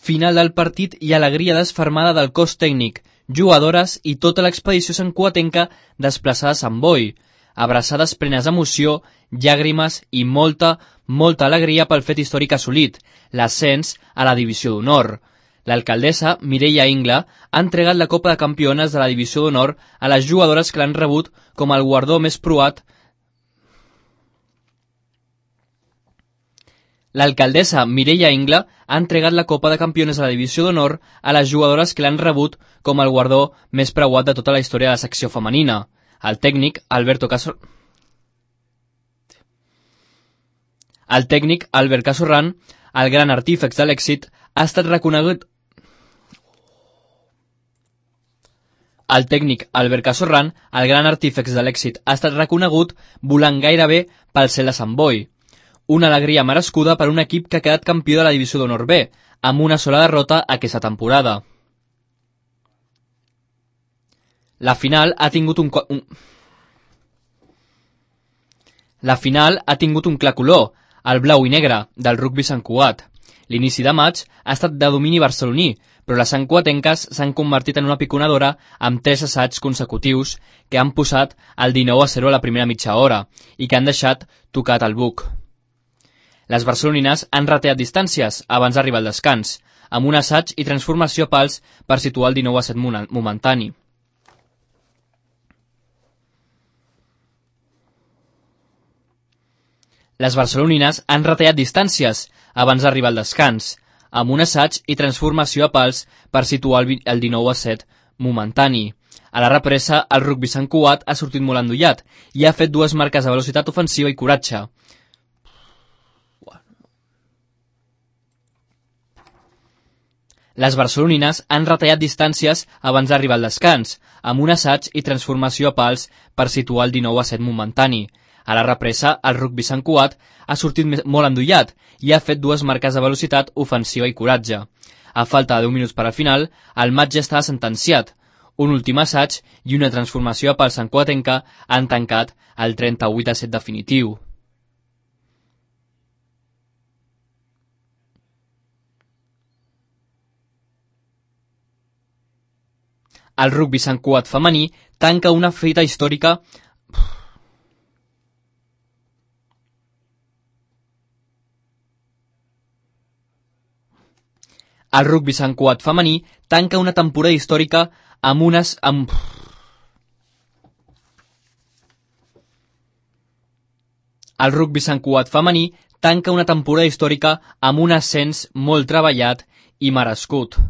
Final del partit i alegria desfermada del cos tècnic, jugadores i tota l'expedició santcugatenca desplaçades amb boi, abraçades plenes d'emoció, llàgrimes i molta alegria pel fet històric assolit, l'ascens a la divisió d'honor. L'alcaldessa Mireia Ingla ha entregat la Copa de Campiones de la divisió d'honor a les jugadores que l'han rebut com el guardó més preuat. L'alcaldessa Mireia Ingla ha entregat la Copa de Campiones de la divisió d'honor a les jugadores que l'han rebut com el guardó més preuat de tota la història de la secció femenina. El tècnic Albert Casorran, el gran artífex de l'èxit, ha estat reconegut. El tècnic Albert Casorran, el gran artífex de l'èxit, ha estat reconegut volant gairebé pel cel de Sant Boi. Una alegria merescuda per un equip que ha quedat campió de la divisió d'honor B, amb una sola derrota aquesta temporada. La final ha tingut un clar color, el blau i negre, del rugbi Sant Cugat. L'inici de maig ha estat de domini barceloní, però les santcugatenques s'han convertit en una piconadora amb 3 assaigs consecutius que han posat el 19-0 a la primera mitja hora i que han deixat tocat el buc. Les barcelonines han rateat distàncies abans d'arribar al descans, amb un assaig i transformació a pals per situar el 19-7 momentani. Les barcelonines han retallat distàncies abans d'arribar al descans, amb un assaig i transformació a pals per situar el 19-7 momentani. A la represa, el rugbi Sant Cugat ha sortit molt endollat i ha fet 2 marques de velocitat ofensiva i coratge. Les barcelonines han retallat distàncies abans d'arribar al descans, amb un assaig i transformació a pals per situar el 19-7 momentani. A la represa, el rugbi Sant Cugat ha sortit molt endollat i ha fet 2 marques de velocitat ofensiva i coratge. A falta de 10 minuts per al final, el match ja estava sentenciat. Un últim assaig i una transformació a pals santcugatenca han tancat el 38-7 definitiu. El rugbi Sant Cugat femení tanca una fita històrica. El rugbi Sant Cugat femení tanca una temporada històrica amb unes... El rugbi Sant Cugat femení tanca una temporada històrica amb un ascens molt treballat i merescut.